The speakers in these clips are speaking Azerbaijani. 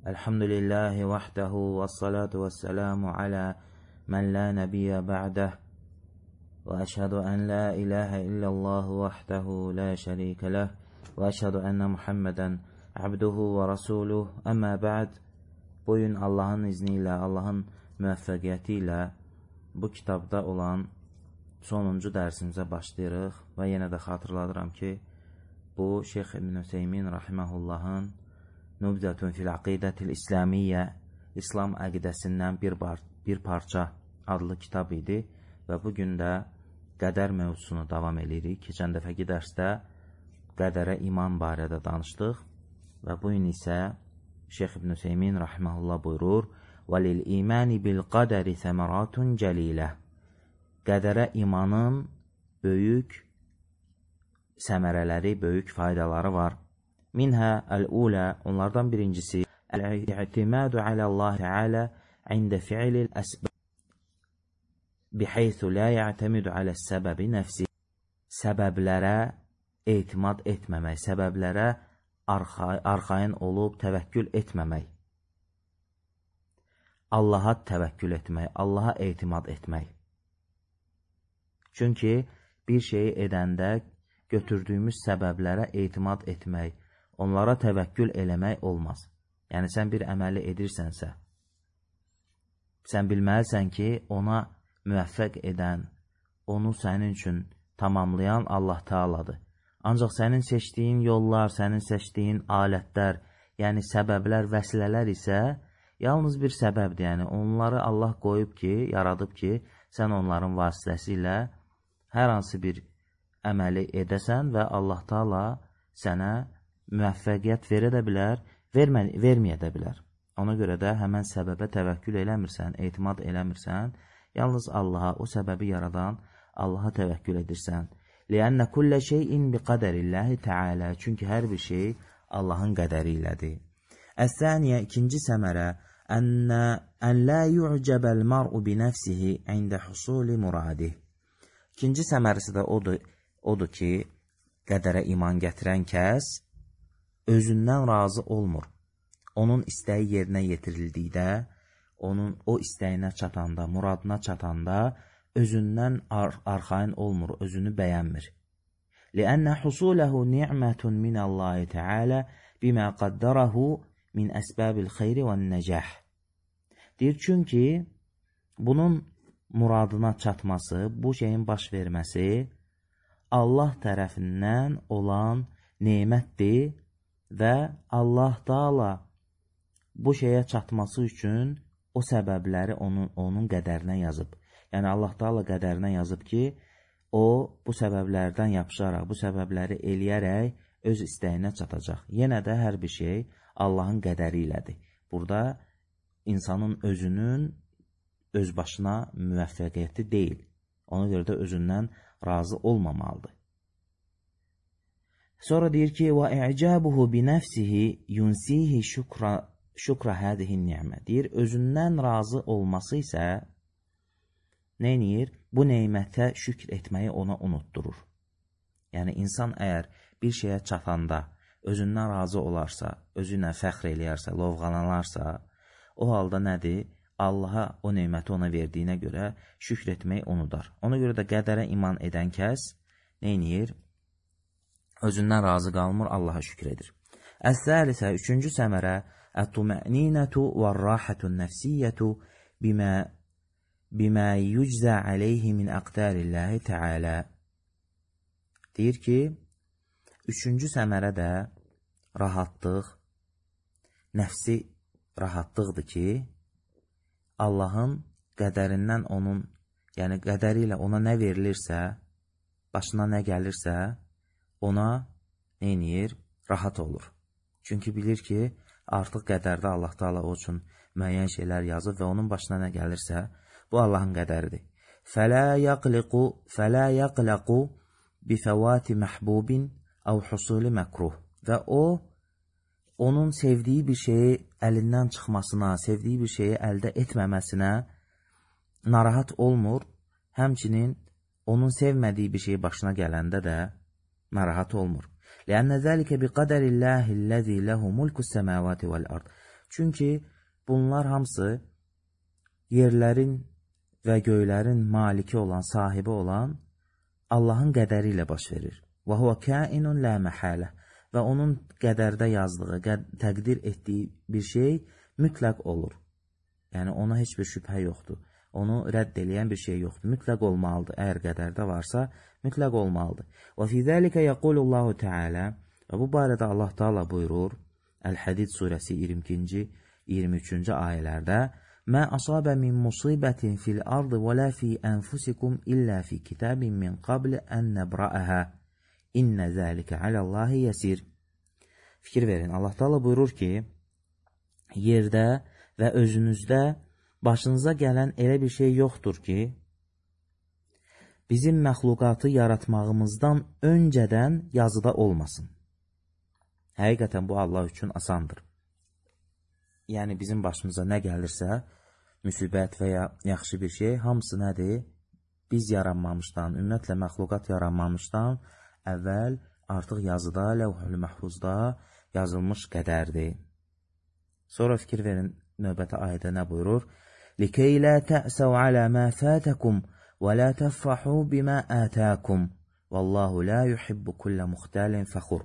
Elhamdülillahi vahdehu ve salatu ve selamu ala men la nebiyye ba'deh ve eşhedü en la ilahe illallah vahdehu la şerike leh ve eşhedü enne Muhammeden abduhu ve rasuluh. Amma ba'd. Bugün Allah'ın izniyle, Allah'ın müvəffəqiyyəti bu kitabda olan sonuncu dərsimizə başlayırıq və yenə də xatırladıram ki, bu Şeyx İbn Hüseymin rahiməhullahın Nubzətun fil Aqidətil İslamiyyə, İslam əqidəsindən bir parça adlı kitab idi və bugün də qədər mövzusunu davam edirik. Keçən dəfəki dərsdə qədərə iman barədə danışdıq və bugün isə Şeyx İbn Hüseymin rahimehullah buyurur: "Və lil imani bil qadari semaratun cəlilə." Qədərə imanın böyük səmərələri, böyük faydaları var. Minhə əl-ulə, onlardan birincisi el-i'timadu aləllahi təala ində fi'lil əsbəb bihaythu la ya'tamidu aləs-səbəbi nəfsi. Səbəblərə etimad etməmək, səbəblərə arxayın olub təvəkkül etməmək. Allaha təvəkkül etmək, Allaha etimad etmək. Çünki bir şeyi edəndə götürdüyümüz səbəblərə etimad etmək, onlara təvəkkül eləmək olmaz. Yəni, sən bir əməli edirsənsə, sən bilməlisən ki, ona müvəffəq edən, onu sənin üçün tamamlayan Allah Teala'dır. Ancaq sənin seçdiyin yollar, sənin seçdiyin alətlər, yəni səbəblər, vəsilələr isə yalnız bir səbəbdir. Yəni, onları Allah qoyub ki, yaradıb ki, sən onların vasitəsilə hər hansı bir əməli edəsən və Allah Teala sənə müvəffəqiyyət verə də bilər, verməyə də bilər. Ona görə də həmən səbəbə təvəkkül eləmirsən, etimad eləmirsən, yalnız Allaha, o səbəbi yaradan Allaha təvəkkül edirsən. لِأَنَّ كُلَّ شَيْءٍ بِقَدَرِ اللّٰهِ تَعَالَى. Çünki hər bir şey Allahın qədəri ilədir. Əs-səniyə, ikinci səmərə, ən lā yu'cəbəl mar'u binəfsihi ində husuli muradih. İkinci səmərisi də odur ki, qədərə iman gətirən kəs özündən razı olmur. Onun istəyi yerinə yetirildikdə, onun o istəyinə çatanda, muradına çatanda özündən arxayın olmur, özünü bəyənmir. لِأَنَّ حُصُولَهُ نِعْمَةٌ مِنَ اللّٰهِ تَعَالَى بِمَا قَدَّرَهُ مِنْ أَسْبَابِ الْخَيْرِ وَالنَّجَحِ. Deyir, çünki bunun muradına çatması, bu şeyin baş verməsi Allah tərəfindən olan nemətdir və Allah Teala bu şeyə çatması üçün o səbəbləri onun qədərinə yazıb. Yəni, Allah Teala qədərinə yazıb ki, o bu səbəblərdən yapışaraq, bu səbəbləri eləyərək öz istəyinə çatacaq. Yenə də hər bir şey Allahın qədəri ilədir. Burada insanın özünün öz başına müvəffəqiyyəti deyil. Ona görə də özündən razı olmamalıdır. Sonra deyir ki, وَاِعْجَابُهُ بِنَفْسِهِ يُنْسِيهِ شُكْرَ هَذِهِ النِّعْمَةِ. Deyir, özündən razı olması isə nə edir? Bu neymətə şükr etməyi ona unutturur. Yəni, insan əgər bir şeyə çatanda özündən razı olarsa, özünə fəxr eləyərsə, lovğalanarsa, o halda nədir? Allaha o neyməti ona verdiyinə görə şükr etməyi unudar. Ona görə də qədərə iman edən kəs nə edir? Özündən razı qalmır, Allaha şükr edir. Əs-səlisə, üçüncü səmərə, ət-tuma'ninətu və-rahətun nəfsiyyətu bimə yüczə aleyhi min əqdərilləhi təalə. Deyir ki, üçüncü səmərə də rahatlıq, nəfsi rahatlıqdır ki, Allahın qədərindən onun, yəni qədəri ilə ona nə verilirsə, başına nə gəlirsə, ona nə edir? Rahat olur. Çünki bilir ki, artıq qədərdə Allah Teala o üçün müəyyən şeylər yazıb və onun başına nə gəlirsə, bu Allahın qədəridir. فَلَا يَقْلَقُ بِفَوَاتِ مَحْبُوبٍ أَوْ حُصُولِ مَكْرُهِ. Və o, onun sevdiyi bir şeyi əlindən çıxmasına, sevdiyi bir şeyi əldə etməməsinə narahat olmur. Həmçinin onun sevmədiyi bir şey başına gələndə də narahat olmur. لأن ذلك بقدر الله الذي له ملك السماوات والأرض. Çünki bunlar hamısı yerlərin və göylərin maliki olan, sahibi olan Allahın qədəri ilə baş verir. Və huve kainun la mahalə. Və onun qədərdə yazdığı, təqdir etdiyi bir şey mütləq olur. Yəni ona heç bir şübhə yoxdur. Onu rədd eləyən bir şey yoxdur. Mütləq olmalıdır. Əgər qədərdə varsa, mütləq olmalıdır. Və fi zəlikə yəqulullahu Teala, və bu barədə Allah Teala buyurur, Əl-Hədid surəsi 22-ci, 23-cü ayələrdə, Mə asabə min musibətin fil ardı və lə fi ənfusikum illə fi kitabin min qabli ən nəbrəəhə. İnnə zəlikə aləllahi yəsir. Fikir verin, Allah Teala buyurur ki, yerdə və özünüzdə başınıza gələn elə bir şey yoxdur ki, bizim məxluqatı yaratmağımızdan öncədən yazıda olmasın. Həqiqətən bu Allah üçün asandır. Yəni bizim başımıza nə gəlirsə, müsibət və ya yaxşı bir şey, hamısı nədir? Biz yaranmamışdan, ümumiyyətlə məxluqat yaranmamışdan əvvəl artıq yazıda, Ləvh-ül Məhfuzda yazılmış qədərdir. Sonra fikir verin, növbəti ayədə nə buyurur? لِكَيْ لَا تَأْسَوْ عَلَى مَا فَاتَكُمْ وَلَا تَفْرَحُوا بِمَا آتَاكُمْ وَاللَّهُ لَا يُحِبُّ كُلَّ مُخْتَالٍ فَخُرٍ.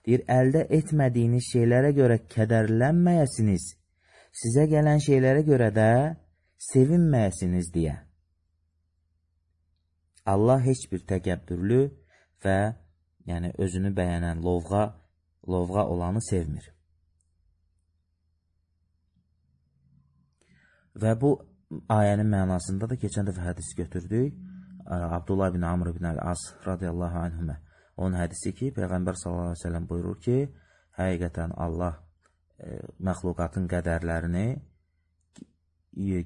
Deyir, əldə etmədiyiniz şeylərə görə kədərlənməyəsiniz, sizə gələn şeylərə görə də sevinməyəsiniz deyə. Allah heç bir təkəbbürlü və yəni özünü bəyənən lovğa olanı sevmir. Və bu ayənin mənasında da keçən dəfə hədisi götürdük. Abdullah ibn Amr ibn Əl-As radiyallahu anhümə. Onun hədisi ki, Peyğəmbər sallallahu aleyhi ve sellem buyurur ki, həqiqətən Allah məxluqatın qədərlərini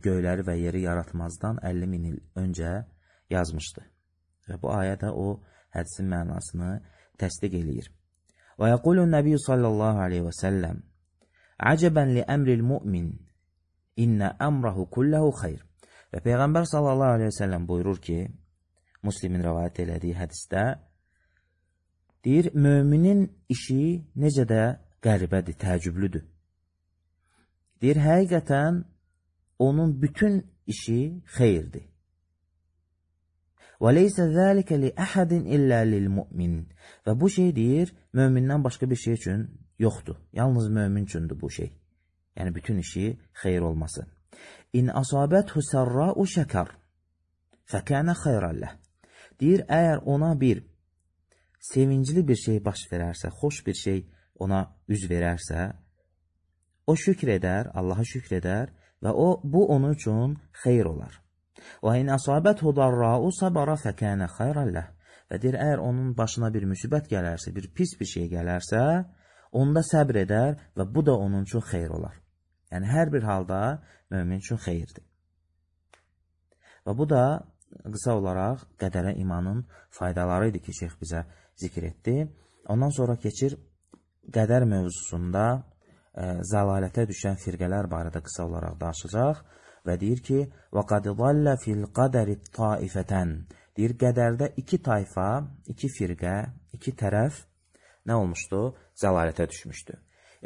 göyləri və yeri yaratmazdan 50 min il öncə yazmışdı. Və bu ayə də o hədisin mənasını təsdiq eləyir. Və yəqulun Nəbi sallallahu aleyhi və səlləm Əcəbən li əmril mümin İnnə əmrahu kulləhu xeyr. Və Peyğəmbər sallallahu aleyhi ve sellem buyurur ki, Müslimin rəvayət elədiyi hədisdə, deyir, müminin işi necə də qəribədir, təəccüblüdür. Deyir, həqiqətən onun bütün işi xeyirdir. Və leysə zəlikə li əhədin illə lil mümin. Və bu şey deyir, mömindən başqa bir şey üçün yoxdur. Yalnız mömin üçündür bu şey. Yəni, bütün işi xeyir olması. İn asabəthu sərra'u şəkər fəkənə xeyrəlləh. Deyir, əgər ona bir sevincli bir şey baş verərsə, xoş bir şey ona üz verərsə, o şükr edər, Allaha şükr edər və bu onun üçün xeyr olar. Və in asabəthu darra'u sabara fəkənə xeyrəlləh. Və deyir, əgər onun başına bir müsibət gələrsə, bir pis bir şey gələrsə, onda səbr edər və bu da onun üçün xeyr olar. Yəni, hər bir halda mömin üçün xeyirdir. Və bu da qısa olaraq qədərə imanın faydaları idi ki, şeyx bizə zikr etdi. Ondan sonra keçir qədər mövzusunda zəlalətə düşən firqələr barədə qısa olaraq danışacaq və deyir ki, وَقَدْ ضَلَّ فِي الْقَدَرِ طَائِفَةً. Deyir, qədərdə iki tayfa, iki firqə, iki tərəf nə olmuşdu? Zəlalətə düşmüşdü.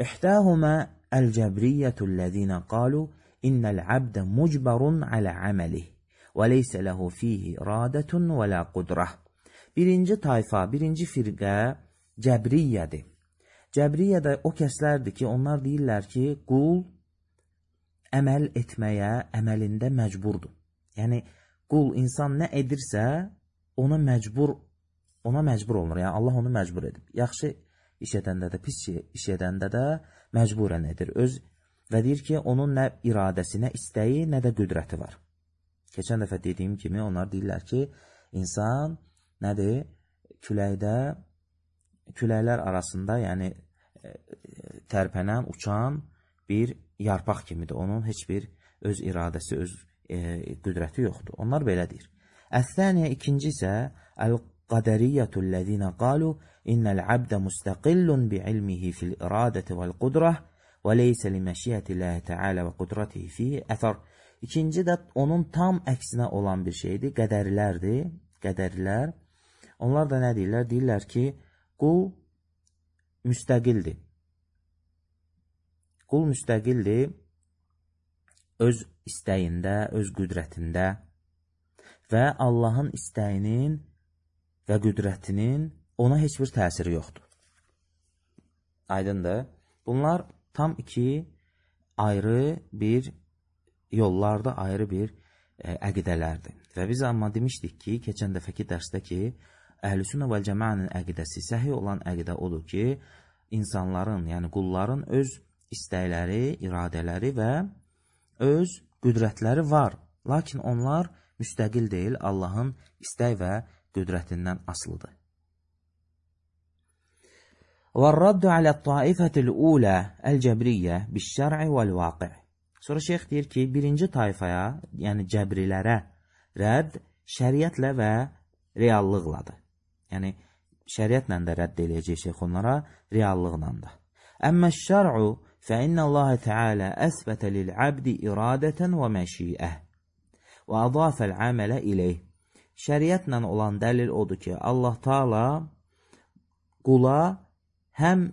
İhtəhumə əl-cəbriyyətüllezina qalu innəl-abdə mucbarun alə əməlih və leysə ləhu fihi iradətun və lə qudrah. Birinci tayfa, birinci firqə cəbriyyədir. Cəbriyyə də o kəslərdir ki, onlar deyirlər ki, qul əməl etməyə, əməlində məcburdur. Yəni, qul insan nə edirsə, ona məcbur olunur. Yəni, Allah onu məcbur edib. Yaxşı iş edəndə də, pis iş edəndə də məcburən edir. Və deyir ki, onun nə iradəsi, nə istəyi, nə də qüdrəti var. Keçən dəfə dediyim kimi, onlar deyirlər ki, insan nədir? Küləklər arasında, yəni tərpənən, uçan bir yarpaq kimidir. Onun heç bir öz iradəsi, öz qüdrəti yoxdur. Onlar belə deyir. Əs-səniyə, ikinci isə əl-qədəriyyətüllezina qalu innəl abdə müstəqillun bi'ilmihi fil iradəti vəl-qudrah və leysə li məşiyyətilləhi təalə və qudratihi fihi əthər. İkinci də onun tam əksinə olan bir şeydir, qədərilərdir. Qədərilər. Onlar da nə deyirlər? Deyirlər ki, qul müstəqildir. Qul müstəqildir öz istəyində, öz qüdrətində və Allahın istəyinin və qüdrətinin ona heç bir təsiri yoxdur. Aydındır. Bunlar tam iki ayrı bir yollarda, ayrı bir əqidələrdir. Və biz amma demişdik ki, keçən dəfəki dərsdə ki, Əhl-i-Sünnə vəl-Cəmaənin əqidəsi, səhih olan əqidə odur ki, insanların, yəni qulların öz istəkləri, iradələri və öz qüdrətləri var. Lakin onlar müstəqil deyil, Allahın istək və qüdrətindən asılıdır. وَالرَّدُّ عَلَى الطَّائِفَةِ الْأُولَى الْجَبْرِيَّةِ بِالشَّرْعِ وَالْوَاقِعِ. Sonra şeyx deyir ki, birinci tayfaya, yəni cəbrilərə rədd şəriətlə və reallıqladır. Yəni, şəriətlə də rədd eləyəcək şeyx onlara, reallıqla da. Əmmə şər'u fəinnə Allah Teala əsbətə lil-abdi iradətən və məşiə və adafəl əmələ iləyh. Şəriətlə olan dəlil odur ki, Allah Teala qula həm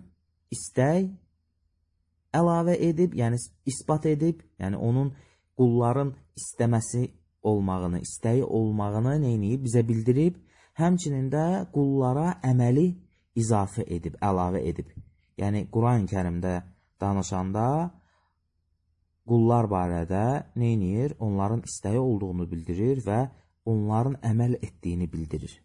istək əlavə edib, yəni isbat edib, yəni onun qulların istəməsi olmağını, istəyi olmağını neyniyib, bizə bildirib, həmçinin də qullara əməli izafə edib, əlavə edib. Yəni, Quran-ı Kərimdə danışanda qullar barədə neyniyir? Onların istəyi olduğunu bildirir və onların əməl etdiyini bildirir.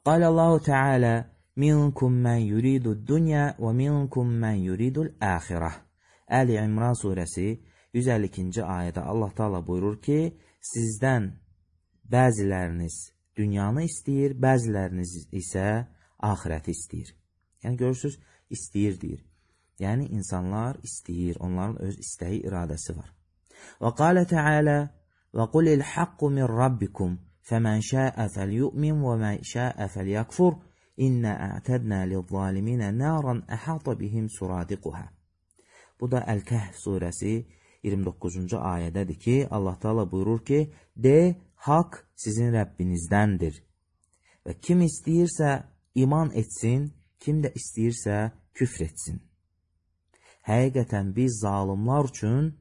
Qalallahu Teala minkum men yuridud dunya və minkum men yuridul axirah. Əli İmran surəsi 152-ci ayədə Allah Teala buyurur ki, sizdən bəziləriniz dünyanı istəyir, bəziləriniz isə axirəti istəyir. Yəni, görürsünüz, istəyir deyir. Yəni, insanlar istəyir, onların öz istəyi, iradəsi var. Və qalə Teala və qulil haqqu min rabbikum fəmən şəə fəlyu'min və mən şəə fəlyəkfur innə ətədnə lil-zaliminə nəran əhata bihim suradiquhə. Bu da Əl-Kəhf surəsi 29-cu ayədədir ki, Allah Teala buyurur ki, de, haqq sizin Rəbbinizdəndir. Və kim istəyirsə iman etsin, kim də istəyirsə küfr etsin. Həqiqətən biz zalimlar üçün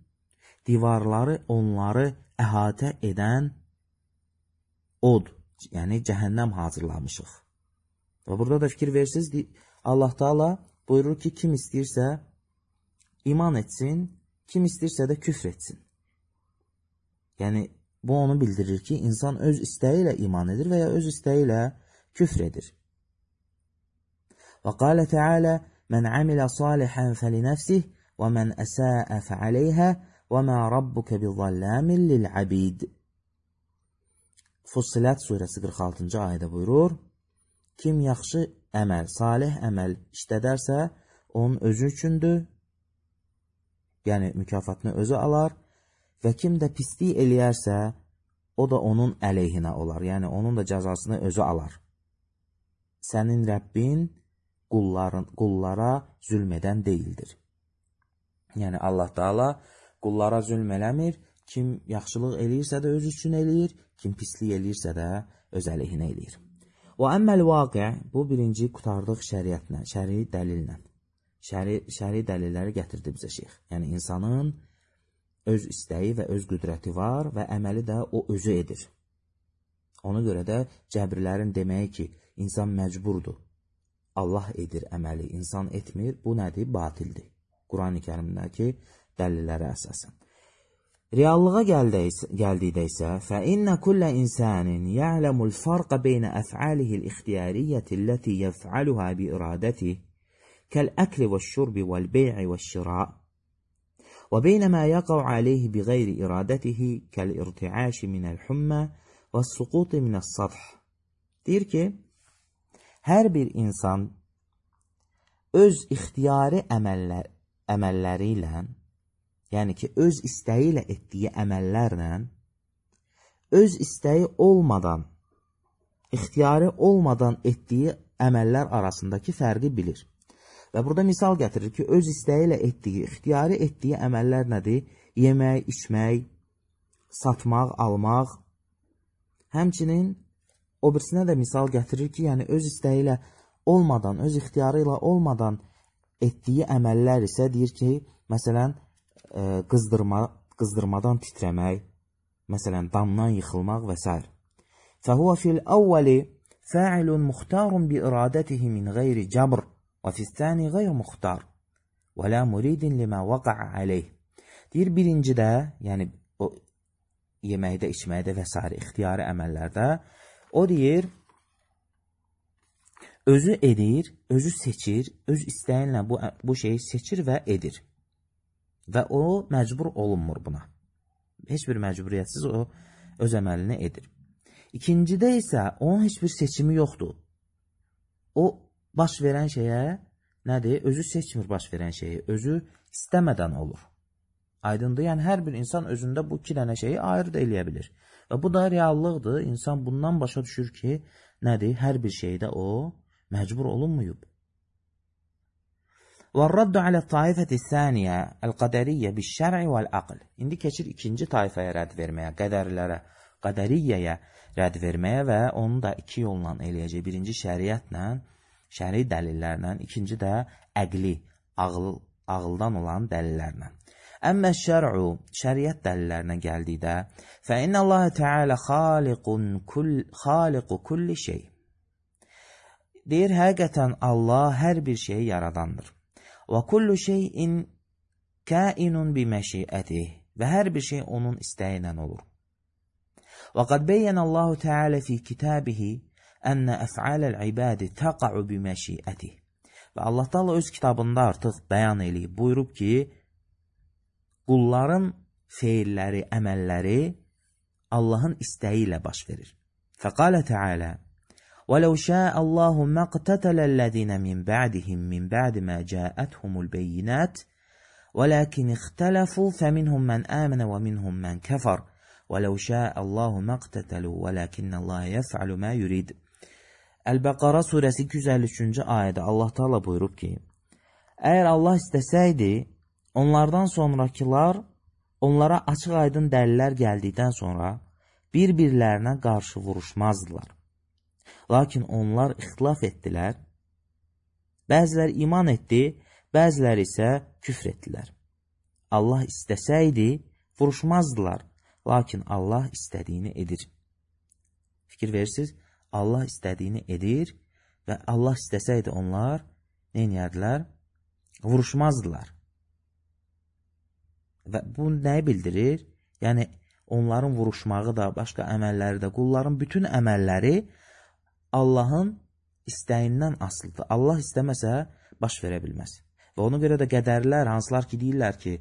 divarları onları əhatə edən od, yəni cəhənnəm hazırlamışıq. Və burada da fikir versiniz, Allah Teala buyurur ki, kim istəyirsə iman etsin, kim istəyirsə də küfr etsin. Yəni, bu onu bildirir ki, insan öz istəyi ilə iman edir və ya öz istəyi ilə küfr edir. Və qalə Teala, mən amilə salihən fəlinəfsih və mən əsəə fəaleyhə və mə rabbuka bizallamin lil'abid. Fussilat surəsi 46-cı ayədə buyurur, kim yaxşı əməl, salih əməl işlədərsə, onun özü üçündür, yəni mükafatını özü alar və kim də pislik eləyərsə, o da onun əleyhinə olar, yəni onun da cəzasını özü alar. Sənin Rəbbin qullara zülm edən deyildir. Yəni Allah Teala qullara zülm eləmir, kim yaxşılıq eləyirsə də öz üçün eləyir, kim pislik eləyirsə də öz əleyhinə eləyir. Və əmməl vaqi, bu birinci qutardıq şəriətlə, şəri dəlillə. Şəri dəlilləri gətirdi bizə şeyx. Yəni insanın öz istəyi və öz qüdrəti var və əməli də o özü edir. Ona görə də cəbrilərin deməyi ki, insan məcburdur. Allah edir əməli, insan etmir, bu nədir? Batildir. Quran-ı Kərimdəki dəlillərə əsasən. Reallığa gəldikdə isə فَإِنَّ كُلَّ إِنسَانٍ يَعْلَمُ الْفَرْقَ بَيْنَ أَفْعَالِهِ الْإِخْتِيَارِيَّةِ الَّتِي يَفْعَلُهَا بِإِرَادَتِهِ كالأكل والشرب والبيع والشراء وبين ما يقع عليه بغير إرادته كالارتعاش من الحمى والسقوط من السطح. Deyir ki, hər bir insan öz ixtiyari əməlləri ilə, yəni ki, öz istəyi ilə etdiyi əməllərlə, öz istəyi olmadan, ixtiyari olmadan etdiyi əməllər arasındakı fərqi bilir. Və burada misal gətirir ki, öz istəyi ilə etdiyi, ixtiyari etdiyi əməllər nədir? Yemək, içmək, satmaq, almaq. Həmçinin o birisinə də misal gətirir ki, yəni öz istəyi ilə olmadan, öz ixtiyarı ilə olmadan etdiyi əməllər isə deyir ki, məsələn, qızdırmadan titrəmək, məsələn, damdan yıxılmaq və s. فهو في الأول فاعل مختار بإرادته من غير جبر وفي الثاني غير مختار ولا مريد لما وقع عليه. Deyir, birincidə, yəni o yeməkdə, içməkdə və s. ixtiyari əməllərdə, o deyir, özü edir, özü seçir, öz istəyinlə bu şeyi seçir və edir. Və o məcbur olunmur buna. Heç bir məcburiyyətsiz o öz əməlini edir. İkincidə isə onun heç bir seçimi yoxdur. O baş verən şeyə nədir? Özü seçmir baş verən şeyi, özü istəmədən olur. Aydındır, yəni hər bir insan özündə bu iki dənə şeyi ayırt eləyə bilir. Və bu da reallıqdır. İnsan bundan başa düşür ki, nədir? Hər bir şeydə o məcbur olunmuyub. وَالرَّدُّ عَلَى الطَّائِفَةِ الثَّانِيَةِ الْقَدَرِيَّةِ بِالشَّرْعِ وَالْعَقْلِ. İndi keçir ikinci tayfaya rədd verməyə, qədərlərə, qədəriyyəyə rədd verməyə və onu da iki yolla eləyəcək. Birinci şəriətlə, şəri dəlillərlə, ikinci də əqli, ağıldan olan dəlillərlə. Əmmə şər'u, şəriət dəlillərinə gəldikdə, فَإِنَّ اللَّهَ تَعَالَى خَالِقُ كُلِّ şey. Deyir, həqiqətən Allah hər bir şeyi yaradandır. وَكُلُّ شَيْءٍ كَائِنٌ بِمَشِيئَتِهِ və hər bir şey onun istəyi ilə olur. وَقَدْ بَيَّنَ اللَّهُ تَعَالَى فِي كِتَابِهِ أَنَّ أَفْعَالَ الْعِبَادِ تَقَعُ بِمَشِيئَتِهِ və Allah Taala öz kitabında artıq bəyan eləyib, buyurub ki, qulların feilləri, əməlləri Allahın istəyi ilə baş verir. فَقَالَ تَعَالَى وَلَوْ شَاءَ اللَّهُ مَا اقْتَتَلَ الَّذِينَ مِنْ بَعْدِهِمْ مِنْ بَعْدِ مَا جَاءَتْهُمُ الْبَيِّنَاتُ وَلَكِنِ اخْتَلَفُوا فَمِنْهُمْ مَنْ آمَنَ وَمِنْهُمْ مَنْ كَفَرَ وَلَوْ شَاءَ اللَّهُ مَا اقْتَتَلُوا وَلَكِنَّ اللَّهَ يَفْعَلُ مَا يُرِيدُ. Əl-Bəqara surəsi 253-cü ayədə Allah Taala buyurub ki, əgər Allah istəsəydi, onlardan sonrakılar onlara açıq-aydın dəlillər gəldikdən sonra bir-birlərinə qarşı vuruşmazdılar. Lakin onlar ixtilaf etdilər. Bəzilər iman etdi, bəzilər isə küfr etdilər. Allah istəsəydi, vuruşmazdılar. Lakin Allah istədiyini edir. Fikir verirsiniz, Allah istədiyini edir və Allah istəsəydi onlar nə edərdilər? Vuruşmazdılar. Və bu nəyi bildirir? Yəni, onların vuruşmağı da, başqa əməlləri də, qulların bütün əməlləri Allahın istəyindən asılıdır. Allah istəməsə baş verə bilməz. Və ona görə də qədərlər, hansılar ki, deyirlər ki,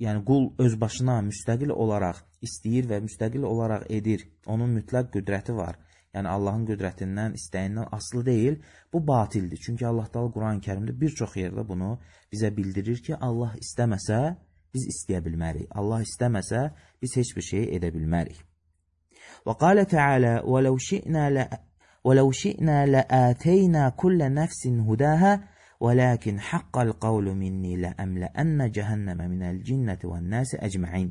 yəni qul öz başına müstəqil olaraq istəyir və müstəqil olaraq edir. Onun mütləq qüdrəti var. Yəni Allahın qüdrətindən, istəyindən asılı deyil. Bu batildir. Çünki Allah Taala Quran-Kərimdə bir çox yerdə bunu bizə bildirir ki, Allah istəməsə biz istəyə bilmərik. Allah istəməsə biz heç bir şey edə bilmərik. Və qalə Teala وَلَوْ شِئْنَا لَآتَيْنَا كُلَّ نَفْسٍ هُدَاهَا وَلَكِنْ حَقَّ الْقَوْلُ مِنِّي لَأَمْلَأَنَّ جَهَنَّمَ مِنَ الْجِنَّةِ وَالنَّاسِ أَجْمَعِينَ.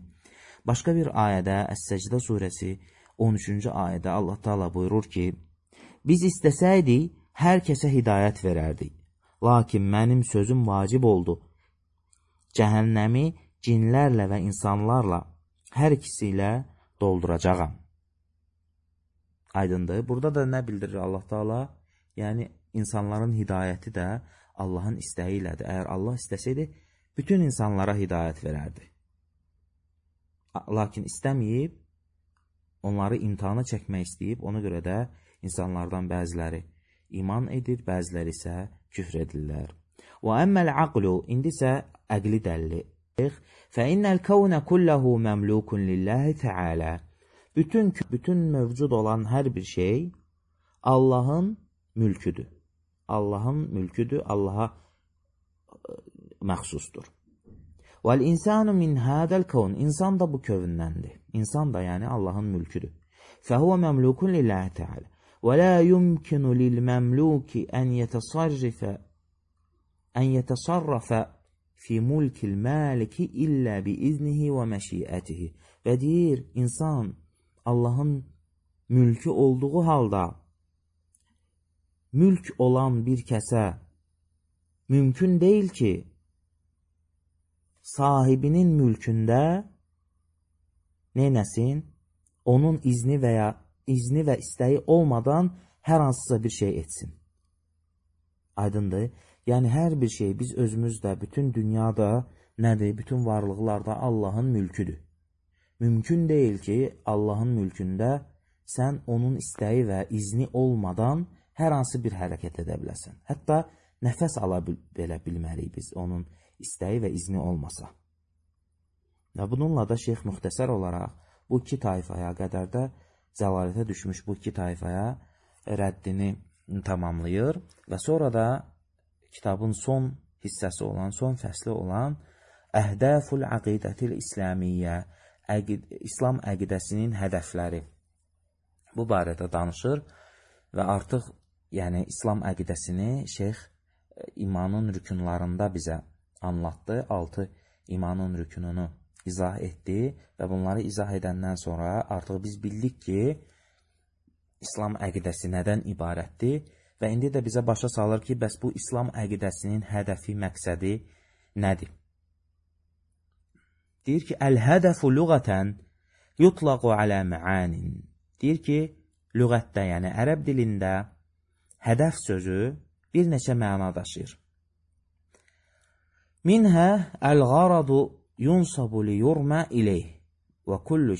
Başqa bir ayədə, Əs-Səcdə surəsi 13-cü ayədə Allah Taala buyurur ki, biz istəsəydik, hər kəsə hidayət verərdik. Lakin mənim sözüm vacib oldu. Cəhənnəmi cinlərlə və insanlarla hər ikisi ilə dolduracağam. Aydındır. Burada da nə bildirir Allah Taala? Yəni, insanların hidayəti də Allahın istəyi ilədir. Əgər Allah istəsəydi, bütün insanlara hidayət verərdi. Lakin istəməyib, onları imtihana çəkmək istəyib, ona görə də insanlardan bəziləri iman edir, bəziləri isə küfr edirlər. Və əmməl aqlu, indi isə əqli dəlli. Fəinnəl kəvnə kulləhu məmlukun lillahi təalə. Bütün mövcud olan hər bir şey Allahın mülküdür. Allahın mülküdür, Allaha məxsusdur. Vəl-insanu min hədəl kəvn, insan da bu kövündəndir. İnsan da yəni Allahın mülküdür. Fəhuvə məmlukun lillahi təalə. Və la yumkinu lil-məmluki ən yətəsarrafə fi mulkil maliki illə biiznihi və məşiətihi. Və deyir, insan Allahın mülkü olduğu halda mülk olan bir kəsə mümkün deyil ki, sahibinin mülkündə neynəsin? Onun izni və istəyi olmadan hər hansısa bir şey etsin. Aydındır? Yəni, hər bir şey biz özümüzdə, bütün dünyada nədir? Bütün varlıqlarda Allahın mülküdür. Mümkün deyil ki, Allahın mülkündə sən onun istəyi və izni olmadan hər hansı bir hərəkət edə biləsən. Hətta nəfəs ala belə bilməliyik biz onun istəyi və izni olmasa. Və bununla da şeyx müxtəsər olaraq bu iki tayfaya qədər də zəlalətə düşmüş bu iki tayfaya rəddini tamamlayır və sonra da kitabın son hissəsi olan, son fəsli olan Əhdəful Əqidətil İslamiyyə, İslam əqidəsinin hədəfləri bu barədə danışır və artıq yəni İslam əqidəsini şeyx imanın rükunlarında bizə anlatdı. 6 imanın rükununu izah etdi və bunları izah edəndən sonra artıq biz bildik ki, İslam əqidəsi nədən ibarətdir və indi də bizə başa salır ki, bəs bu İslam əqidəsinin hədəfi, məqsədi nədir? Deyir ki, əl-hədəfu lüğətən yutlaqu alə mə'anin. Deyir ki, lüğətdə, yəni ərəb dilində hədəf sözü bir neçə məna daşıyır. Minhə əl-qaradu yunsabu li yurmə ileyh və kullu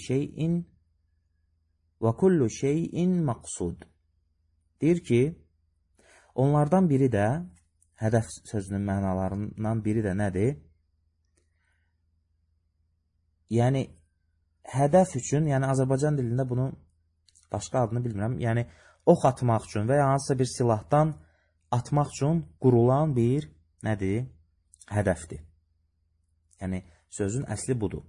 şeyin maqsud. Deyir ki, onlardan biri də, hədəf sözünün mənalarından biri də nədir? Yəni, hədəf üçün, yəni Azərbaycan dilində bunun başqa adını bilmirəm, yəni ox atmaq üçün və ya hansısa bir silahdan atmaq üçün qurulan bir, nədir? Hədəfdir. Yəni, sözün əsli budur.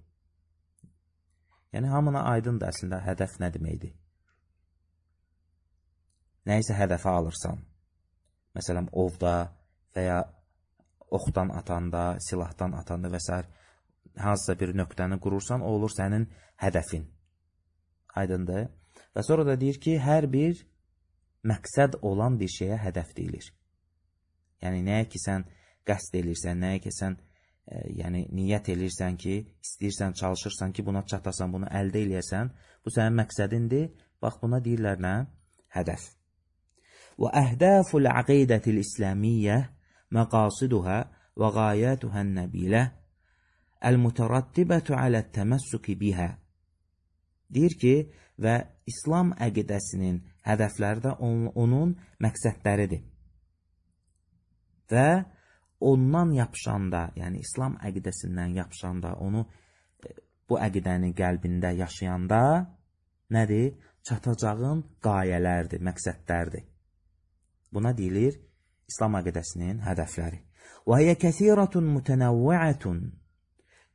Yəni, hamına aydındır əslində hədəf nə deməkdir. Nəyisə hədəfə alırsan. Məsələn, ovda və ya oxdan atanda, silahdan atanda və s. hansısa bir nöqtəni qurursan, o olur sənin hədəfin. Aydındır. Və sonra da deyir ki, hər bir məqsəd olan bir şeyə hədəf deyilir. Yəni, nəyə ki sən qəsd edirsən, nəyə ki sən yəni, niyyət edirsən ki, istəyirsən, çalışırsan ki, buna çatasan, bunu əldə eləyəsən, bu sənin məqsədindir. Bax, buna deyirlər nə? Hədəf. Və əhdəful əqidətil İslamiyyə məqasiduhə və qayətuhən nəbilə əl-mütərattibətu alə't-təməssüki bihə. Deyir ki, və İslam əqidəsinin hədəfləri də onun məqsədləridir. Və ondan yapışanda, yəni İslam əqidəsindən yapışanda, onu bu əqidəni qəlbində yaşayanda nədir? Çatacağın qayələrdir, məqsədlərdir. Buna deyilir İslam əqidəsinin hədəfləri. Və hiyə kəsiratun mütənəvvəətun.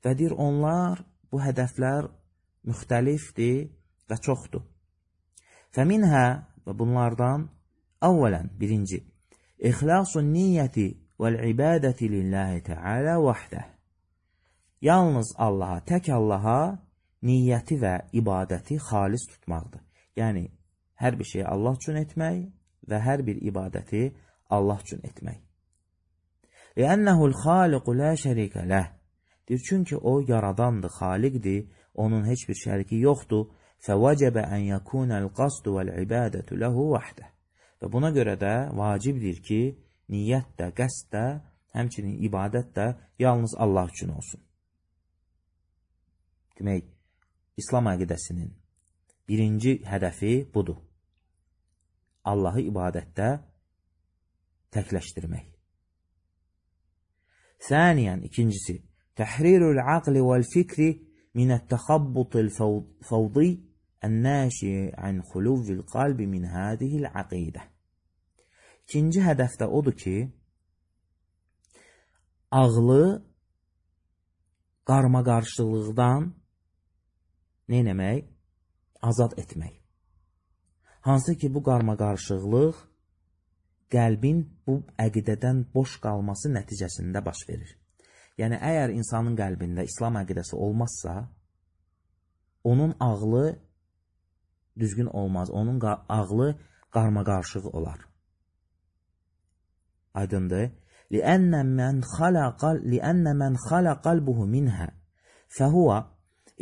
Və deyir, onlar, bu hədəflər müxtəlifdir və çoxdur. Fəminhə, və bunlardan, əvvələn, birinci, İxlasun niyyəti vəl-ibadəti lillahi teala vahdə. Yalnız Allaha, tək Allaha niyyəti və ibadəti xalis tutmaqdır. Yəni, hər bir şeyi Allah üçün etmək və hər bir ibadəti Allah üçün etmək. Ləənnəhul xaliqu lə şərikə ləh. Deyir, çünki o yaradandır, xaliqdir, onun heç bir şəriki yoxdur. Fəvəcəbə ən yəkunəl qasdu vəl-ibadətu ləhu vahdə. Və buna görə də vacibdir ki, niyyət də, qəsd də, həmçinin ibadət də yalnız Allah üçün olsun. Demək, İslam əqidəsinin birinci hədəfi budur. Allahı ibadətdə təkləşdirmək. Səniyən, ikincisi, təhrirul aqli vəl-fikri minət-təxabbutil fəvdi ən-nəşi ən xuluvvil qalbi min hədihil əqidə. İkinci hədəf də odur ki, ağlı qarmaqarışıqlıqdan neynəmək? Azad etmək. Hansı ki, bu qarmaqarışıqlıq qəlbin bu əqidədən boş qalması nəticəsində baş verir. Yəni, əgər insanın qəlbində İslam əqidəsi olmazsa, onun ağlı düzgün olmaz, onun ağlı qarmaqarışıq olar. Aydındır. لِأَنَّ مَنْ خَلَ قَلْبُهُ مِنْهَا فَهُوَ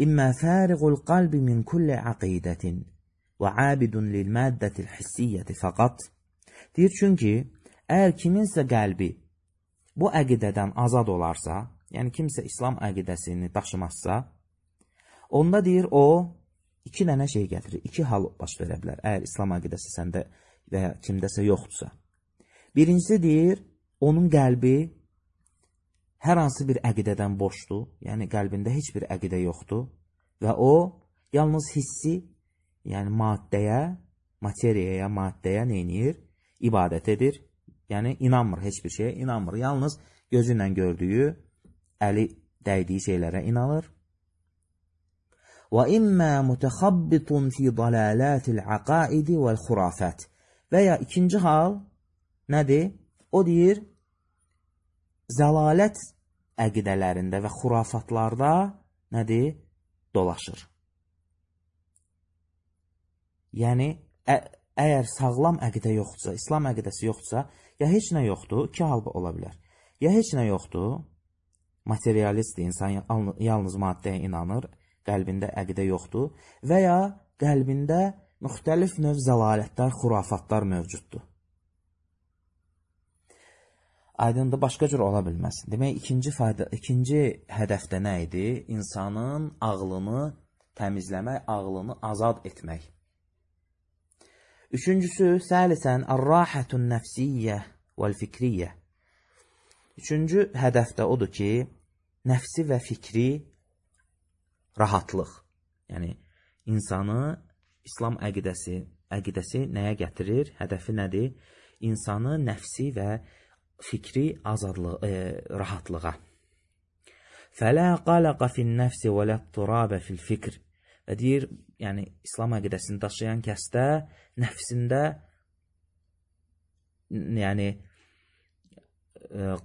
إِمَّا فَارِغُ الْقَلْبِ مِنْ كُلِّ عَقِيدَةٍ وَعَابِدٌ لِلْمَادَّةِ الْحِسِّيَّةِ فَقَطْ. Deyir, çünki əgər kiminsə qəlbi bu əqidədən azad olarsa, yəni kimsə İslam əqidəsini daşımazsa, onda deyir o, iki dənə şey gətirir, iki hal baş verə bilər, əgər İslam əqidəsi səndə və ya kimdəsə yoxdursa. Birincisi deyir, onun qəlbi hər hansı bir əqidədən boşdur, yəni qəlbində heç bir əqidə yoxdur və o, yalnız hissi, yəni maddəyə, materiyaya, maddəyə neynir? İbadət edir, yəni inanmır, heç bir şeyə inanmır, yalnız gözü ilə gördüyü, əli dəydiyi şeylərə inanır. وَإِمَّا مُتَخَبِّطٌ فِي ضَلَالَاتِ الْعَقَائِدِ وَالْخُرَافَاتِ. Və ya ikinci hal nədir? O deyir, zəlalət əqidələrində və xurafatlarda nədir? Dolaşır. Yəni, əgər sağlam əqidə yoxdursa, İslam əqidəsi yoxdursa, ya heç nə yoxdur, iki hal ola bilər. Ya heç nə yoxdur, materialistdir, insan yalnız maddəyə inanır, qəlbində əqidə yoxdur və ya qəlbində müxtəlif növ zəlalətlər, xurafatlar mövcuddur. Aydındır, başqa cür ola bilməz. Demək, ikinci hədəfdə nə idi? İnsanın ağlını təmizləmək, ağlını azad etmək. Üçüncüsü, səlisən, ər-rahətun nəfsiyyə vəl-fikriyyə. Üçüncü hədəfdə odur ki, nəfsi və fikri rahatlıq. Yəni, insanı İslam əqidəsi nəyə gətirir? Hədəfi nədir? İnsanı nəfsi və fikri rahatlığa. Fələ qələqə fin-nəfsi və ləd-turabə fil-fikr. Və deyir, yəni İslam əqidəsini daşıyan kəsdə nəfsində yəni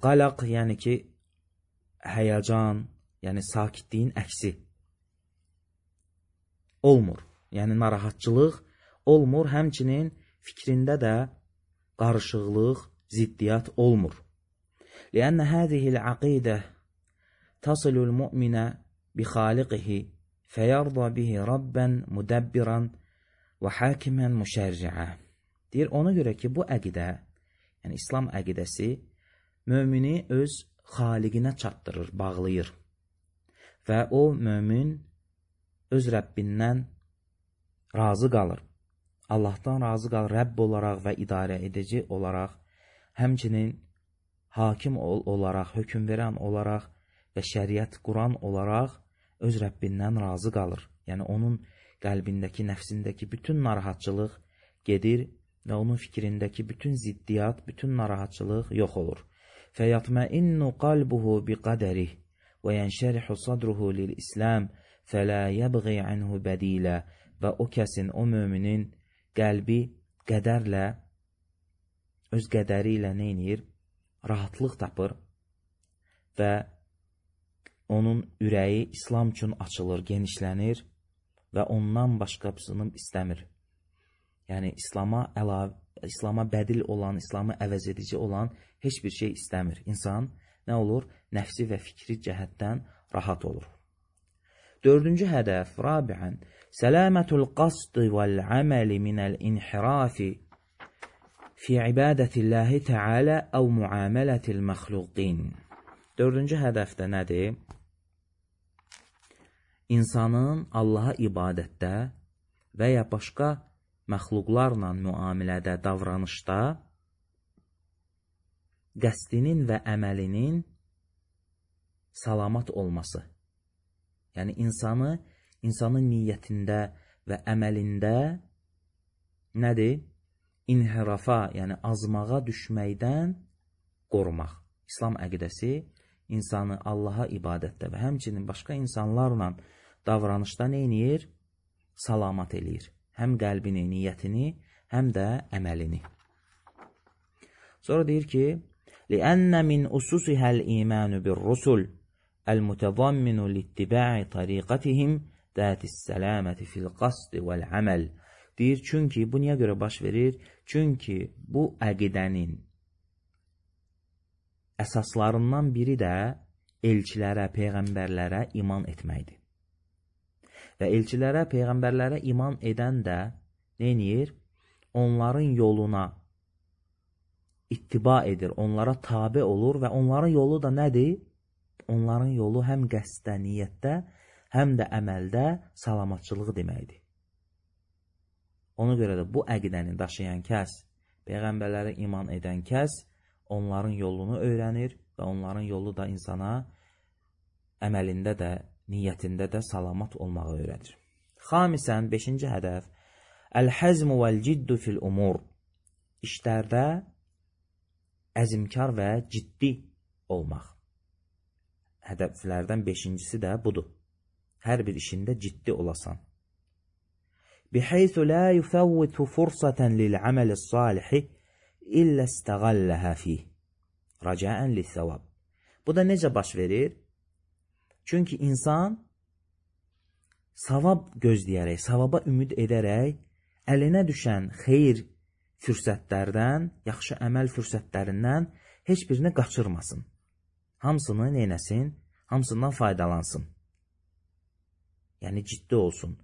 qalaq, yəni ki həyəcan, yəni sakitliyin əksi olmur. Yəni narahatçılıq olmur, həmçinin fikrində də qarışıqlıq, ziddiyyat olmur. Lianna hadihil aqidə tasilul mu'minə bi xaliqihi fəyarda bihi rabban mudabbiran və hakimən müşərri'ə. Deyir, ona görə ki, bu əqidə, yəni İslam əqidəsi mömini öz xaliqinə çatdırır, bağlayır. Və o mömin öz Rəbbindən razı qalır. Allahdan razı qalır, Rəbb olaraq və idarə edici olaraq, həmçinin hakim olaraq, hökm verən olaraq və şəriət quran olaraq öz Rəbbindən razı qalır. Yəni onun qəlbindəki, nəfsindəki bütün narahatçılıq gedir və onun fikrindəki bütün ziddiyyat, bütün narahatçılıq yox olur. Fəyatma'innu qalbuhu biqadərih və yənşərihu sadruhu lil-İslam fələ yəbği anhu bədilə. Və o kəsin, o möminin qəlbi qədərlə, öz qədəri ilə neynir? Rahatlıq tapır və onun ürəyi İslam üçün açılır, genişlənir və ondan başqasını istəmir. Yəni İslama bədil olan, İslamı əvəz edici olan heç bir şey istəmir. İnsan nə olur? Nəfsi və fikri cəhətdən rahat olur. Dördüncü hədəf, rabiən, səlamətul qasd vəl-əməli minəl-inhirafi fi ibadətilləhi təalə əv muamələtil məxluqin. Dördüncü hədəfdə nədir? İnsanın Allaha ibadətdə və ya başqa məxluqlarla müamilədə, davranışda qəsdinin və əməlinin salamat olması. Yəni insanın niyyətində və əməlində nədir? İnhirafa, yəni azmağa düşməkdən qorumaq. İslam əqidəsi insanı Allaha ibadətdə və həmçinin başqa insanlarla davranışda neynir? Salamat eləyir. Həm qəlbini, niyyətini, həm də əməlini. Sonra deyir ki, لِأَنَّ مِنْ أُسُسِهَا الْإِيمَانُ بِالرُّسُلِ الْمُتَضَمِّنُ لِاتِّبَاعِ طَرِيقَتِهِمْ ذَاتِ السَّلَامَةِ فِي الْقَصْدِ وَالْعَمَلِ. Deyir, çünki, bu niyə görə baş verir? Çünki bu əqidənin əsaslarından biri də elçilərə, peyğəmbərlərə iman etməkdir. Və elçilərə, peyğəmbərlərə iman edən də neynir? Onların yoluna ittiba edir, onlara tabe olur və onların yolu da nədir? Onların yolu həm qəsdə, niyyətdə, həm də əməldə salamatçılıq deməkdir. Ona görə də bu əqidəni daşıyan kəs, peyğəmbərlərə iman edən kəs, onların yolunu öyrənir və onların yolu da insana əməlində də, niyyətində də salamat olmağı öyrədir. Xamisən, 5-ci hədəf, əl-həzmu vəl-ciddu fil-umur. İşlərdə əzimkar və ciddi olmaq. Hədəflərdən 5-incisi də budur. Hər bir işində ciddi olasan. Bihaythu la yufawwitu fursatan lil-amali-s-salihi illə istəğalləhə fih, rəcəən lis-savab. Bu da necə baş verir? Çünki insan savab gözləyərək, savaba ümid edərək, əlinə düşən xeyir fürsətlərdən, yaxşı əməl fürsətlərindən heç birini qaçırmasın. Hamısını neynəsin? Hamısından faydalansın. Yəni ciddi olsun.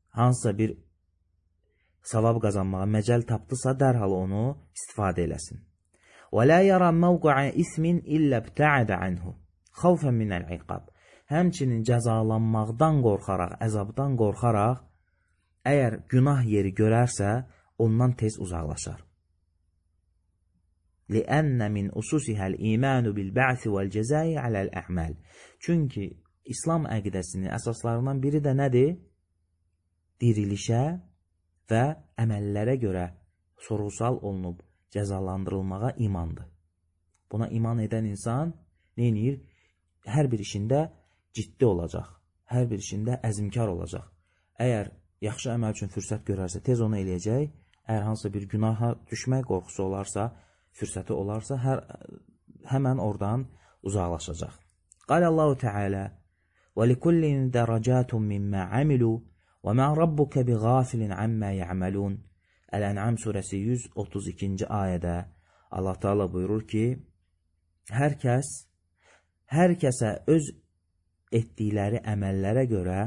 Hansısa bir savab qazanmağa məcəl tapdısa, dərhal onu istifadə eləsin. وَلَا يَرَى مَوْقَعَ إِثْمٍ إِلَّا ابْتَعَدَ عَنْهُ خَوْفًا مِنَ الْعِقَابِ. Həmçinin cəzalanmaqdan qorxaraq, əzabdan qorxaraq, əgər günah yeri görərsə, ondan tez uzaqlaşar. لِأَنَّ مِنْ أُسُسِهَا الْإِيمَانُ بِالْبَعْثِ وَالْجَزَاءِ عَلَى الْأَعْمَالِ. Çünki İslam əqidəsinin əsaslarından biri də nədir? Dirilişə və əməllərə görə sorğu-sual olunub cəzalandırılmağa imandır. Buna iman edən insan neynir? Hər bir işində ciddi olacaq. Hər bir işində əzimkar olacaq. Əgər yaxşı əməl üçün fürsət görərsə, tez onu eləyəcək. Əgər hansısa bir günaha düşmək qorxusu olarsa, fürsəti olarsa, həmən oradan uzaqlaşacaq. Qalallahu Teala: وَلِكُلِّنْ دَرَجَاتٌ مِمَّا عَمِلُوا وَمَا رَبُّكَ بِغَافِلٍ عَمَّا يَعْمَلُونَ. Əl-Ən'am surəsi 132-ci ayədə Allah Teala buyurur ki, hər kəsə öz etdikləri əməllərə görə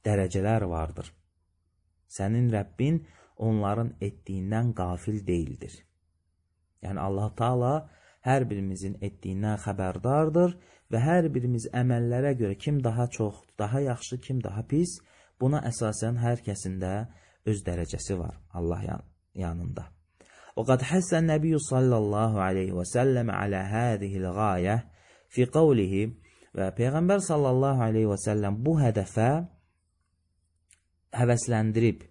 dərəcələr vardır. Sənin Rəbbin onların etdiyindən qafil deyildir. Yəni Allah Teala hər birimizin etdiyindən xəbərdardır və hər birimiz əməllərə görə kim daha çox, daha yaxşı, kim daha pis, buna əsasən hər kəsində öz dərəcəsi var Allah yanında. وَقَدْ حَسَّ النَّبِيُّ صَلَّى اللّٰهُ عَلَيْهِ وَسَلَّمَ عَلَى هَذِهِ الْغَايَةِ فِي قَوْلِهِ. Və Peyğəmbər sallallahu aleyhi və səlləm bu hədəfə həvəsləndirib,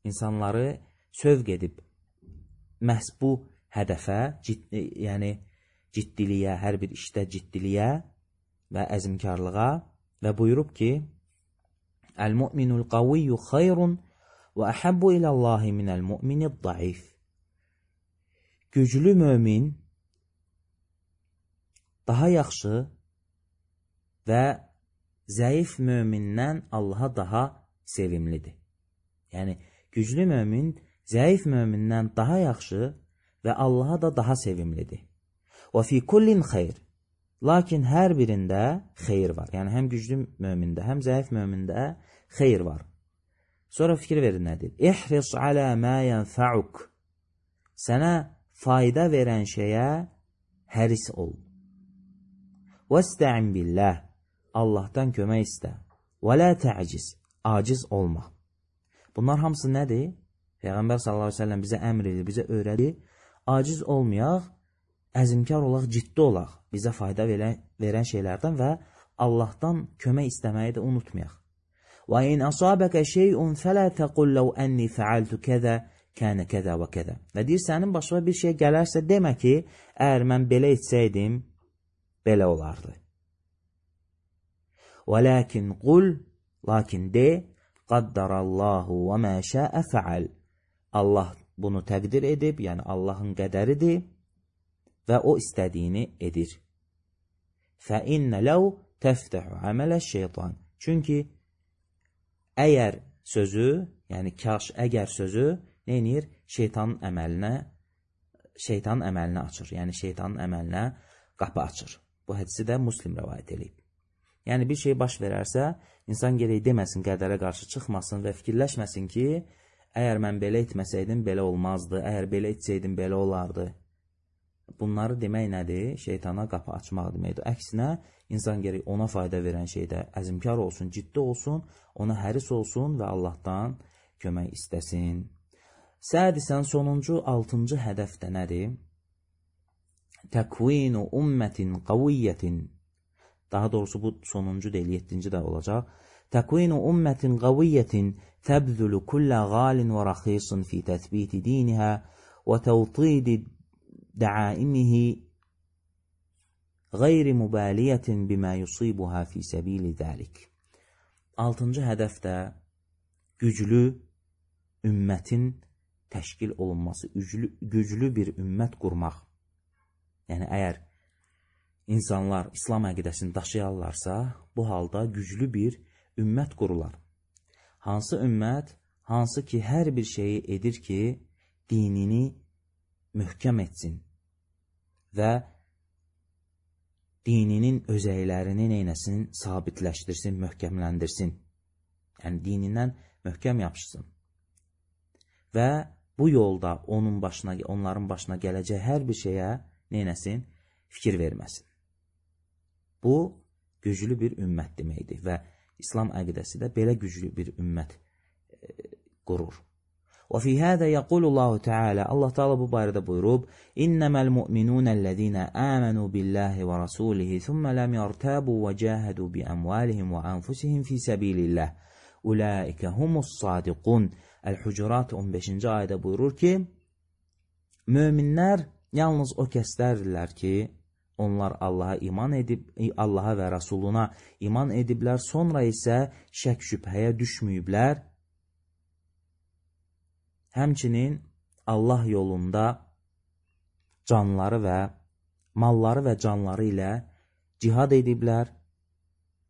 insanları sövq edib, məhz bu hədəfə, yəni ciddiliyə, hər bir işdə ciddiliyə və əzimkarlığa və buyurub ki, Əl-mu'minul qaviyyu xayrun və əhəbbu iləllahi minəl mu'minid daif. Güclü mömin daha yaxşı və zəif mömindən Allaha daha sevimlidir. Yəni, güclü mömin zəif mömindən daha yaxşı və Allaha da daha sevimlidir. Və fi kullin xeyr. Lakin hər birində xeyir var. Yəni, həm güclü mömində, həm zəif mömində xeyir var. Sonra fikir verin nədir? İhris alə mə yənfəuk. Sənə fayda verən şeyə həris ol. Vəstə'in billah. Allahdan kömək istə. Və lə tə'ciz. Aciz olma. Bunlar hamısı nədir? Peyğəmbər sallallahu aleyhi ve sellem bizə əmr edir, bizə öyrədir. Aciz olmayaq, əzimkar olaq, ciddi olaq. Bizə fayda verən şeylərdən və Allahdan kömək istəməyi də unutmayaq. Və in asabəkə şeyun fələ təqul ləv ənni fəaltu kəzə kənə kəzə və kəzə. Və deyir, sənin başına bir şey gələrsə, demə ki, əgər mən belə etsəydim, belə olardı. Və ləkin qul, lakin de, qaddarallahu və mə şəə fəal. Allah bunu təqdir edib, yəni Allahın qədəridir və o istədiyini edir. Fə innə ləv təftəhu əmələ şeytan. Çünki əgər sözü, yəni kaş əgər sözü neynir? Şeytanın əməlinə açır. Yəni şeytanın əməlinə qapı açır. Bu hədisi də Müslim rəvayət edib. Yəni bir şey baş verərsə, insan gerək deməsin, qədərə qarşı çıxmasın və fikirləşməsin ki, əgər mən belə etməsəydim, belə olmazdı, əgər belə etsəydim, belə olardı. Bunları demək nədir? Şeytana qapı açmaq deməkdir. Əksinə, insan gerək ona fayda verən şeydə əzmkar olsun, ciddi olsun, ona həris olsun və Allahdan kömək istəsin. Sədisən, sonuncu, 6-cı hədəf də nədir? Təkvinu ümmətin qaviyyətin. Daha doğrusu bu sonuncu deyil, 7-ci də olacaq. Təkvinu ümmətin qaviyyətin təbzülü kullə qalin və raxisin fi təthbiti dinihə və təvtidi dəaimihi qeyri mübəliyyətin bimə yusibuhə fi səbili dəlik. 6-cı hədəf də güclü ümmətin təşkil olunması, güclü bir ümmət qurmaq. Yəni, əgər insanlar İslam əqidəsini daşıyarlarsa, bu halda güclü bir ümmət qurular. Hansı ümmət? Hansı ki, hər bir şeyi edir ki, dinini möhkəm etsin və dininin özəylərini neynəsin? Sabitləşdirsin, möhkəmləndirsin. Yəni, dinindən möhkəm yapışsın. Və bu yolda onların başına gələcək hər bir şeyə neynəsin? Fikir verməsin. Bu, güclü bir ümmət deməkdir və İslam əqidəsi də belə güclü bir ümmət qurur. Və fi hədə yəqulullahu Teala, Allah Teala bu barədə buyurub, İnnəməl mu'minunəl-ləzīnə əmənu billahi və rasulihi, thumma lam yartabu və cahadu bi əmvalihim və anfusihim fi səbilillah. Ulaikə humus sadiqun. Əl-Hucurat 15-ci ayədə buyurur ki, möminlər yalnız o kəslərdirlər ki, onlar Allaha iman edib, Allaha və Rasuluna iman ediblər, sonra isə şək şübhəyə düşməyiblər. Həmçinin Allah yolunda canları və malları və canları ilə cihad ediblər.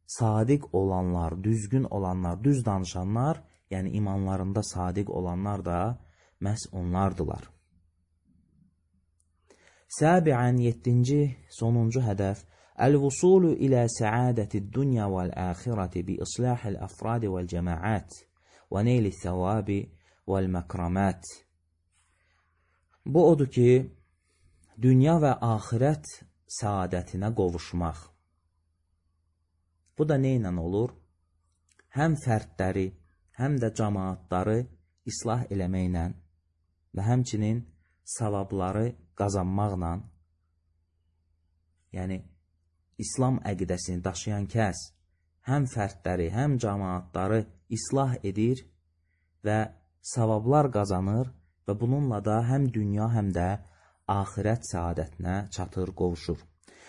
Sadiq olanlar, düzgün olanlar, düz danışanlar, yəni imanlarında sadiq olanlar da məhz onlardılar. Səbiən, 7-ci, sonuncu hədəf, Əl-vusulu ilə səadətid dünya vəl-əxirəti bi islahil əfradi vəl-cəmaət və neyli thəvabi vəl-məkramət. Bu odur ki, dünya və axirət səadətinə qovuşmaq. Bu da neynə olur? Həm fərdləri, həm də cəmaatları islah eləməklə və həmçinin savabları qazanmaqla, yəni İslam əqidəsini daşıyan kəs həm fərdləri, həm cəmaatları islah edir və savablar qazanır və bununla da həm dünya, həm də axirət səadətinə çatır, qovuşur.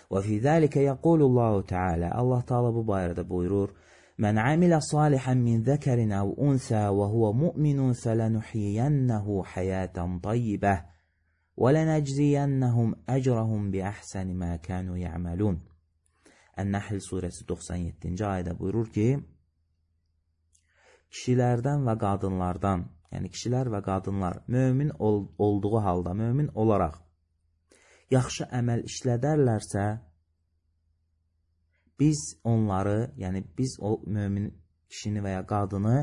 Və fi zəlikə yəqulullahu Teala, Allah Teala bu barədə buyurur, Mən amilə salihən min zəkərin əv unsə və huvə mu'minun fələnuhiyyənnəhu həyətən tayyibəh və lənəcziyyənnəhum əcrəhum bi əhsəni mə kənu yə'məlun. Ən-Nəhl surəsi 97-ci ayədə buyurur ki, kişilərdən və qadınlardan, yəni kişilər və qadınlar mömin olduğu halda, mömin olaraq yaxşı əməl işlədərlərsə, biz onları, yəni biz o mömin kişini və ya qadını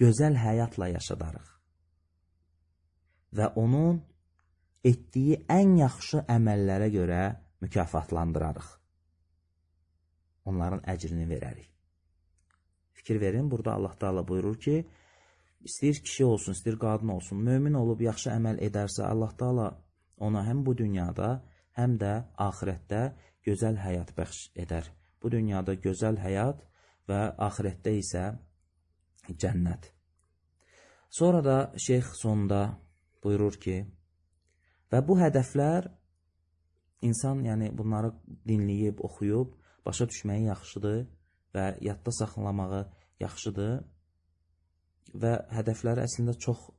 gözəl həyatla yaşadarıq və onun etdiyi ən yaxşı əməllərə görə mükafatlandırarıq. Onların əcrini verərik. Fikir verin, burada Allah Teala buyurur ki, istəyir kişi olsun, istəyir qadın olsun, mömin olub yaxşı əməl edərsə, Allah Teala ona həm bu dünyada, həm də axirətdə gözəl həyat bəxş edər. Bu dünyada gözəl həyat və axirətdə isə cənnət. Sonra da şeyx sonunda buyurur ki, və bu hədəflər insan, yəni bunları dinləyib, oxuyub, başa düşməyi yaxşıdır və yadda saxlamağı yaxşıdır və hədəfləri əslində çox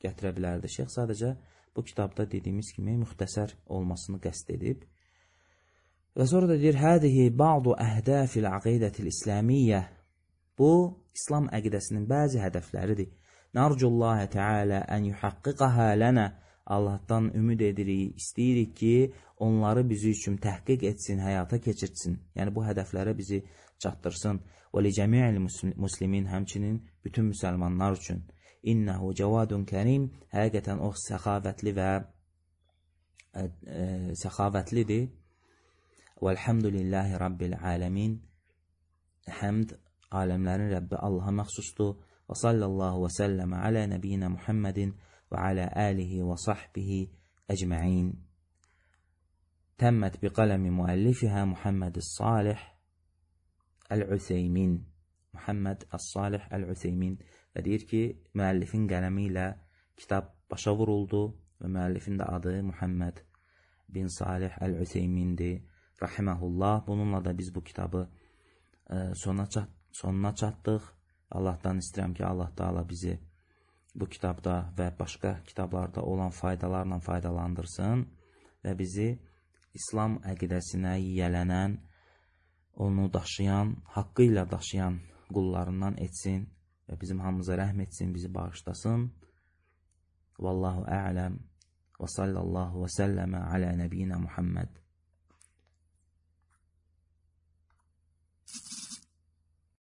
gətirə bilərdi. Şeyx sadəcə bu kitabda dediyimiz kimi müxtəsər olmasını qəsd edib. Və sonra da deyir, hədihi ba'du əhdəfil əqidətil İslamiyyə. Bu, İslam əqidəsinin bəzi hədəfləridir. Narcullahi Teala ən yuhaqqiqəhə lənə. Allahdan ümid edirik, istəyirik ki, onları bizi üçün təhqiq etsin, həyata keçirtsin. Yəni, bu hədəflərə bizi çatdırsın. Və li cəmi'il muslimin, həmçinin bütün müsəlmanlar üçün. İnnəhu cəvadun kərim, həqiqətən o səxavətlidir. Vəlhamdülillahi rabbil aləmin. Həmd aləmlərin Rəbbi Allaha məxsusdur. Və sallallahu və səlləmə alə nəbiyyinə Muhammedin və alə əlihi və sahbihi əcməin. Təmmət bi qələmi müəllifihə Muhammed Salih Əl-Ütheymin. Muhammed Salih Əl-Ütheymin. Və deyir ki, müəllifin qələmi ilə kitab başa vuruldu və müəllifin də adı Muhammed bin Salih Əl-Ütheymindir. Rahiməhullah. Bununla da biz bu kitabı sonuna çatdıq. Allahdan istəyirəm ki, Allah Taala bizi bu kitabda və başqa kitablarda olan faydalarla faydalandırsın və bizi İslam əqidəsinə yiyələnən, onu daşıyan, haqqı ilə daşıyan qullarından etsin və bizim hamımıza rəhm etsin, bizi bağışlasın. Vallahu a'lam və sallallahu və səlləmə alə nəbiyyinə Muhammed.